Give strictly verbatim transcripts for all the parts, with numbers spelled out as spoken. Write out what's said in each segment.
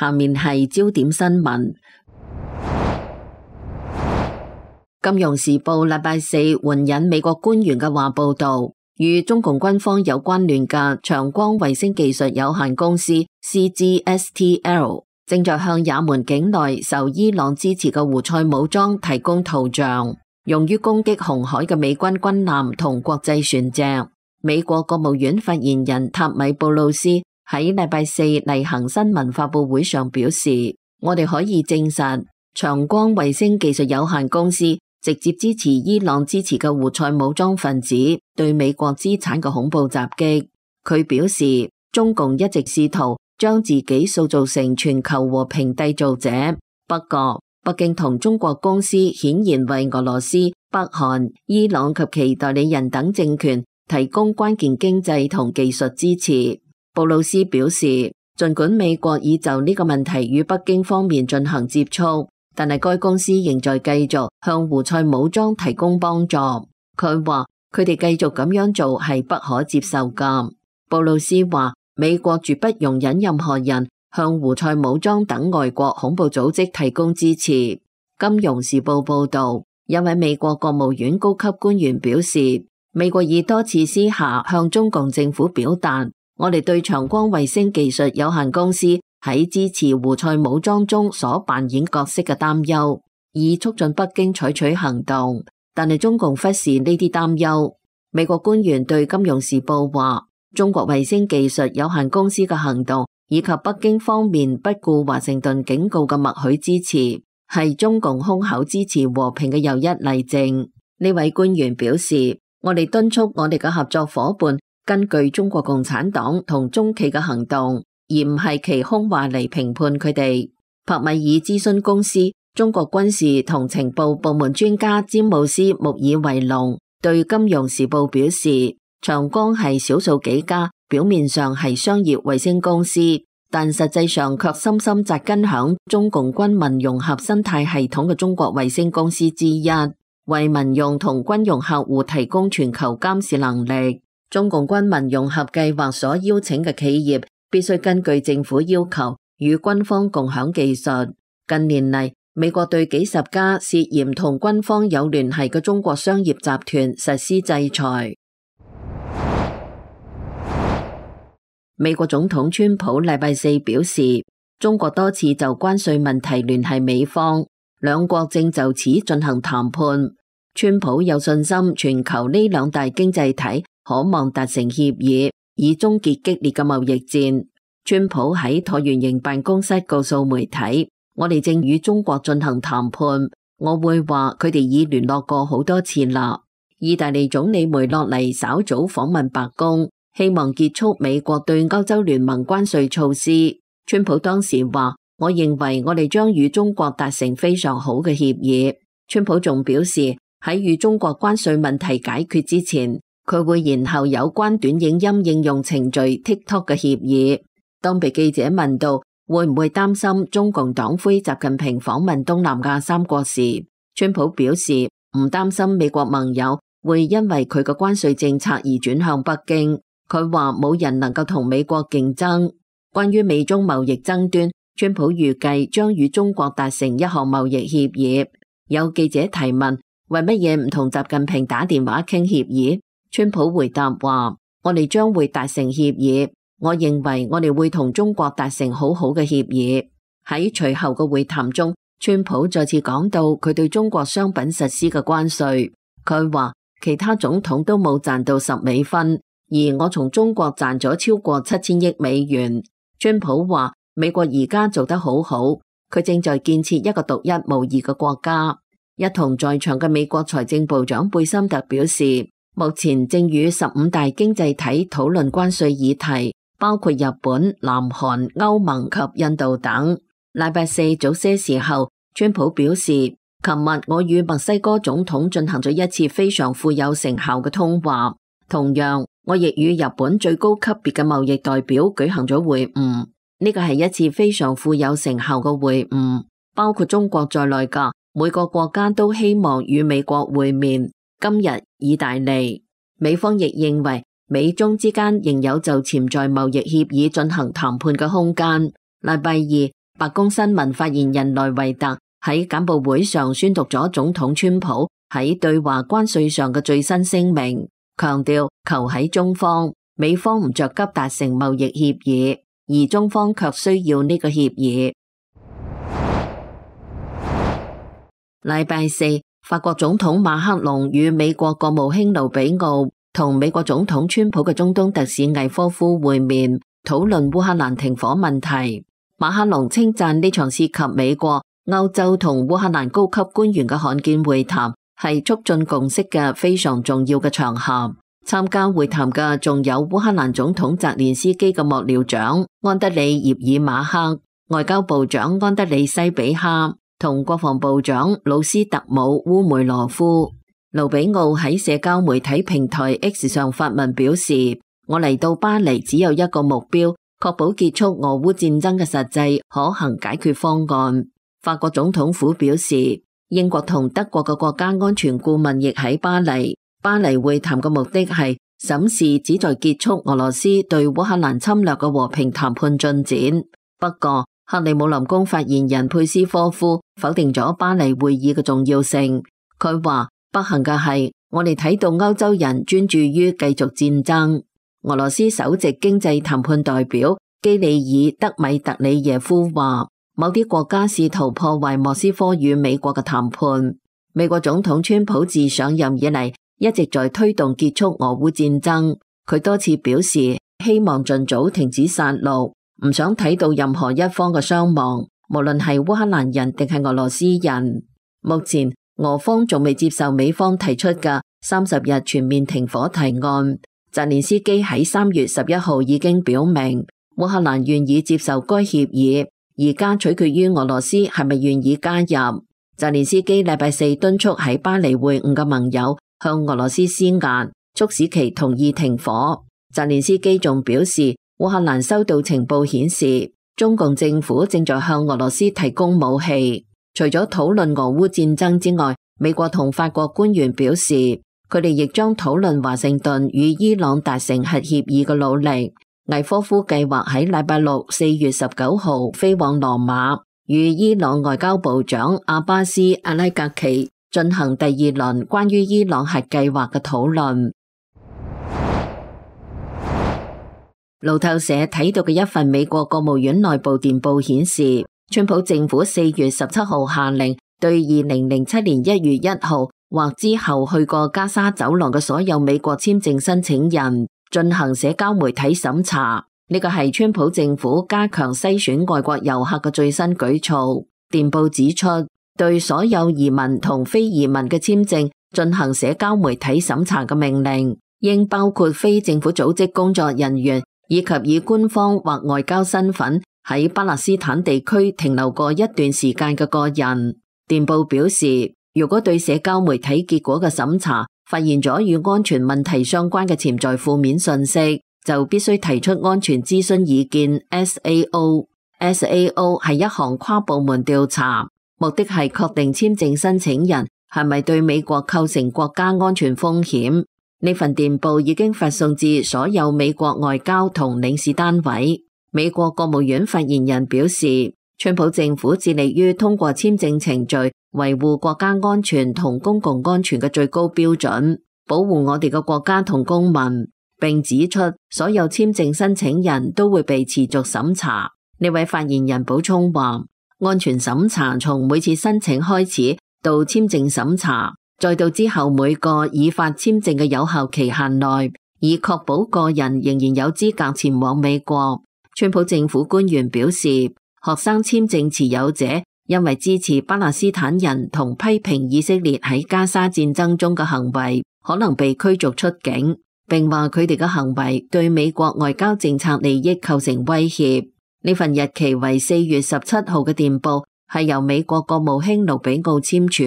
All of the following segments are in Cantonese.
下面係焦點新聞。金融時報禮拜四援引美國官員嘅話報道，與中共軍方有關聯嘅長光衛星技術有限公司 C G S T L 正在向也門境內受伊朗支持嘅胡塞武裝提供圖像，用於攻擊紅海嘅美軍軍艦同國際船隻。美國國務院發言人塔米布魯斯喺禮拜四例行新聞發佈會上表示，我哋可以證實長光衛星技術有限公司直接支持伊朗支持嘅胡塞武裝分子對美國資產嘅恐怖襲擊。佢表示，中共一直試圖將自己塑造成全球和平締造者，不過北京同中國公司顯然為俄羅斯、北韓、伊朗及其代理人等政權提供關鍵經濟同技術支持。布魯斯表示，儘管美國已就呢個問題與北京方面進行接觸，但係該公司仍在繼續向胡塞武裝提供幫助。佢話佢哋繼續咁樣做係不可接受㗎。布魯斯話美國絕不容忍任何人向胡塞武裝等外國恐怖組織提供支持。金融時報報導，一位美國國務院高級官員表示，美國已多次私下向中共政府表達我哋對長光衛星技術有限公司喺支持胡塞武裝中所扮演角色嘅擔憂，以促進北京採取行動，但係中共忽視呢啲擔憂。美國官員對金融時報話，中國衛星技術有限公司嘅行動以及北京方面不顧華盛頓警告嘅默許支持，係中共空口支持和平嘅又一例證。呢位官員表示，我哋敦促我哋嘅合作夥伴根據中國共產黨同中企嘅行動，而唔係其空話嚟評判佢哋。柏米爾諮詢公司中國軍事同情報部門專家詹姆斯穆爾維龍對金融時報表示，長光係少數幾家表面上係商業衛星公司，但實際上卻深深扎根響中共軍民融合生態系統嘅中國衛星公司之一，為民用同軍用客戶提供全球監視能力。中共軍民融合計劃所邀請嘅企業必須根據政府要求與軍方共享技術。近年嚟，美國對幾十家涉嫌同軍方有聯繫嘅中國商業集團實施制裁。美國總統川普禮拜四表示，中國多次就關稅問題聯繫美方，兩國正就此進行談判。川普有信心全球呢兩大經濟體可望達成協議，以終結激烈嘅貿易戰。川普喺橢圓形辦公室告訴媒體，我哋正與中國進行談判，我會話佢哋已聯絡過好多次啦。意大利總理梅洛尼稍早訪問白宮，希望結束美國對歐洲聯盟關稅措施。川普當時話，我認為我哋將與中國達成非常好嘅協議。川普仲表示，喺與中國關稅問題解決之前，佢會延後有關短影音應用程序 TikTok 嘅協議。當被記者問到會唔會擔心中共黨魁習近平訪問東南亞三國時，川普表示唔擔心美國盟友會因為佢嘅關稅政策而轉向北京。佢話冇人能夠同美國競爭。關於美中貿易爭端，川普預計將與中國達成一項貿易協議。有記者提問，為乜嘢唔同習近平打電話傾協議？川普回答話，我哋將會達成協議，我認為我哋會同中國達成好好嘅協議。喺隨後嘅會談中，川普再次講到佢對中國商品實施嘅關稅。佢話其他總統都冇賺到十美分，而我從中國賺咗超過七千億美元。川普話美國而家做得好好，佢正在建設一個獨一無二嘅國家。一同在場嘅美國財政部長貝森特表示，目前正與十五大經濟體討論關稅議題，包括日本、南韓、歐盟及印度等。禮拜四早些時候，川普表示，琴日我與墨西哥總統進行咗一次非常富有成效嘅通話，同樣我亦與日本最高級別嘅貿易代表舉行咗會晤。呢個係一次非常富有成效嘅會晤，包括中國在內嘅每個國家都希望與美國會面。今日意大利、美方亦認為美中之間仍有就潛在貿易協議進行談判嘅空間。禮拜二，白宮新聞發言人萊維特喺簡報會上宣讀咗總統川普喺對華關稅上嘅最新聲明，強調求喺中方，美方唔着急達成貿易協議，而中方卻需要呢個協議。禮拜四，法國總統馬克龍與美國國務卿盧比奧同美國總統川普嘅中東特使魏科夫會面，討論烏克蘭停火問題。馬克龍稱讚呢場涉及美國、歐洲同烏克蘭高級官員嘅罕見會談係促進共識嘅非常重要嘅場合。參加會談嘅仲有烏克蘭總統澤連斯基嘅幕僚長安德里葉爾馬克、外交部長安德里西比哈同國防部長魯斯特姆烏梅羅夫。盧比奧喺社交媒體平台 X 上發文表示：我嚟到巴黎只有一個目標，確保結束俄烏戰爭嘅實際可行解決方案。法國總統府表示，英國同德國嘅國家安全顧問亦喺巴黎。巴黎會談嘅目的係審視旨在結束俄羅斯對烏克蘭侵略嘅和平談判進展。不過，克里姆林宮發言人佩斯科夫否定咗巴黎會議嘅重要性。佢話：不幸嘅係，我哋睇到歐洲人專注於繼續戰爭。俄羅斯首席經濟談判代表基里爾德米特里耶夫話：某啲國家試圖破壞莫斯科與美國嘅談判。美國總統川普自上任以嚟一直在推動結束俄烏戰爭。佢多次表示希望盡早停止殺戮，唔想睇到任何一方嘅傷亡，無論係烏克蘭人定係俄羅斯人。目前俄方仲未接受美方提出嘅三十日全面停火提案。澤連斯基喺三月十一號已經表明，烏克蘭願意接受該協議，而家取決於俄羅斯係咪願意加入。澤連斯基禮拜四敦促喺巴黎會晤嘅盟友向俄羅斯施壓，促使其同意停火。澤連斯基仲表示，烏克蘭收到情報顯示，中共政府正在向俄羅斯提供武器。除咗討論俄烏戰爭之外，美國同法國官員表示，佢哋亦將討論華盛頓與伊朗達成核協議嘅努力。魏科夫計劃喺禮拜六四月十九號飛往羅馬，與伊朗外交部長阿巴斯阿拉格奇進行第二輪關於伊朗核計劃嘅討論。路透社睇到嘅一份美國國務院內部電報顯示，川普政府四月十七號下令對二零零七年一月一號或之後去過加沙走廊嘅所有美國簽證申請人進行社交媒體審查。呢個係川普政府加強篩選外國遊客嘅最新舉措。電報指出，對所有移民同非移民嘅簽證進行社交媒體審查嘅命令，應包括非政府組織工作人員以及以官方或外交身份喺巴勒斯坦地區停留過一段時間嘅個人。電報表示，如果對社交媒體結果嘅審查發現咗與安全問題相關嘅潛在負面信息，就必須提出安全諮詢意見 S A O。S A O 係一項跨部門調查，目的係確定簽證申請人係咪對美國構成國家安全風險。呢份電報已經發送至所有美國外交同領事單位。美國國務院發言人表示，川普政府致力於通過簽證程序維護國家安全同公共安全嘅最高標準，保護我哋嘅國家同公民，並指出所有簽證申請人都會被持續審查。呢位發言人補充話，安全審查從每次申請開始到簽證審查，再到之後每個已發簽證嘅有效期限內，以確保個人仍然有資格前往美國。川普政府官員表示，學生簽證持有者因為支持巴勒斯坦人同批評以色列喺加沙戰爭中嘅行為，可能被驅逐出境，並話佢哋嘅行為對美國外交政策利益構成威脅。呢份日期為四月十七號嘅電報係由美國國務卿盧比奧簽署，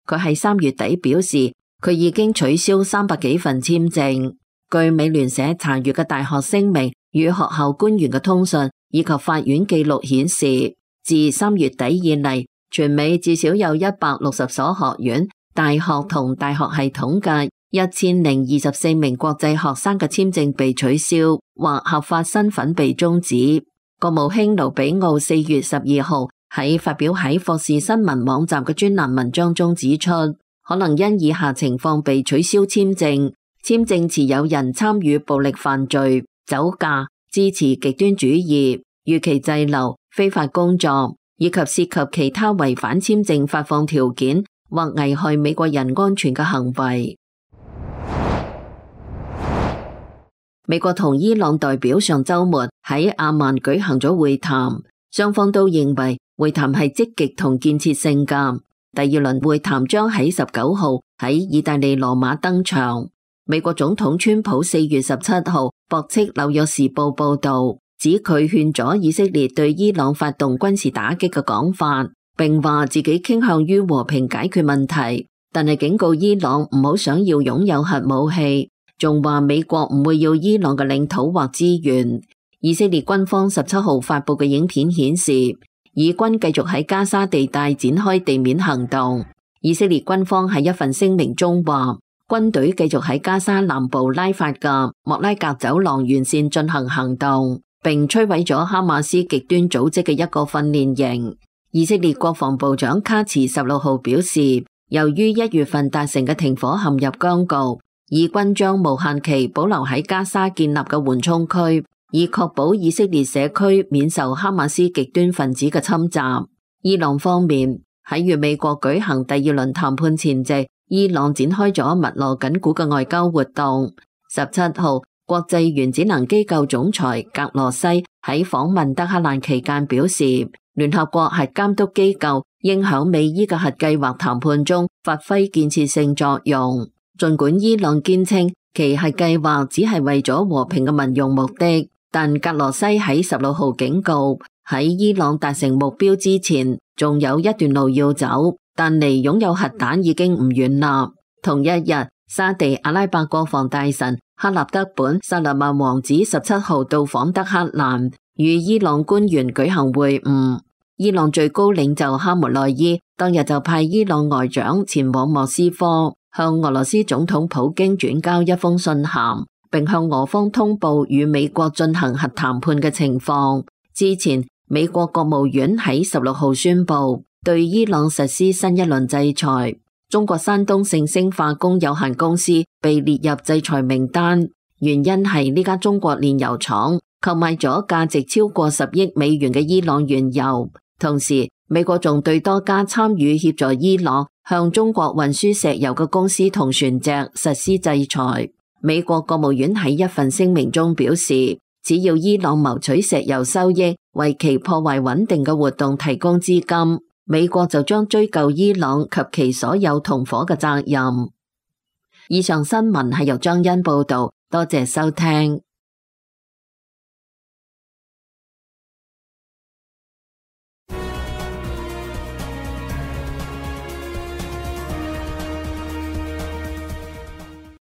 佢喺三月底表示佢已經取消三百幾份簽證。據美聯社查閱嘅大學聲明與學校官員嘅通訊以及法院記錄顯示，自三月底以嚟，全美至少有一百六十所學院、大學同大學系統嘅一千零二十四名國際學生嘅簽證被取消或合法身份被終止。國務卿盧比奧四月十二號喺發表喺霍士新聞網站嘅專欄文章中指出，可能因以下情況被取消簽證：簽證持有人參與暴力犯罪、酒駕、支持極端主義、逾期滯留、非法工作，以及涉及其他違反簽證發放條件或危害美國人安全嘅行為。美國同伊朗代表上週末喺阿曼舉行咗會談，雙方都認為會談係積極同建設性㗎。第二輪會談將喺十九號喺意大利羅馬登場。美國總統川普四月十七號駁斥紐約時報報導，指佢勸咗以色列對伊朗發動軍事打擊嘅講法，並話自己傾向於和平解決問題，但係警告伊朗唔好想要擁有核武器。仲話美國唔會要伊朗嘅領土或資源。以色列軍方十七號發布嘅影片顯示，以軍繼續喺加沙地帶展開地面行動。以色列軍方喺一份聲明中話，軍隊繼續喺加沙南部拉法嘅莫拉格走廊沿線進行行動，並摧毀咗哈馬斯極端組織嘅一個訓練營。以色列國防部長卡茨十六號表示，由於一月份達成嘅停火陷入僵局，以軍將無限期保留喺加沙建立嘅緩衝區，以確保以色列社區免受哈馬斯極端分子嘅侵襲。伊朗方面喺與美國舉行第二輪談判前夕，伊朗展開咗密鑼緊鼓嘅外交活動。十七號，國際原子能機構總裁格羅西喺訪問德黑蘭期間表示，聯合國核監督機構應響美伊嘅核計劃談判中發揮建設性作用。儘管伊朗堅稱其核計劃只係為咗和平嘅民用目的，但格羅西喺十六號警告，喺伊朗達成目標之前，仲有一段路要走，但離擁有核彈已經唔遠啦。同一日，沙地阿拉伯國防大臣哈納德本薩勒曼王子十七號到訪德黑蘭，與伊朗官員舉行會晤。伊朗最高領袖哈梅內伊當日就派伊朗外長前往莫斯科，向俄羅斯總統普京轉交一封信函，並向俄方通報與美國進行核談判嘅情況。之前，美國國務院喺十六號宣布對伊朗實施新一輪制裁，中國山東盛星化工有限公司被列入制裁名單，原因係呢家中國煉油廠購買咗價值超過十億美元嘅伊朗原油。同時，美國仲對多家參與協助伊朗向中國運輸石油嘅公司同船隻實施制裁。美國國務院喺一份聲明中表示，只要伊朗謀取石油收益，為其破壞穩定嘅活動提供資金，美國就將追究伊朗及其所有同夥嘅責任。以上新聞係由張欣報道，多謝收聽。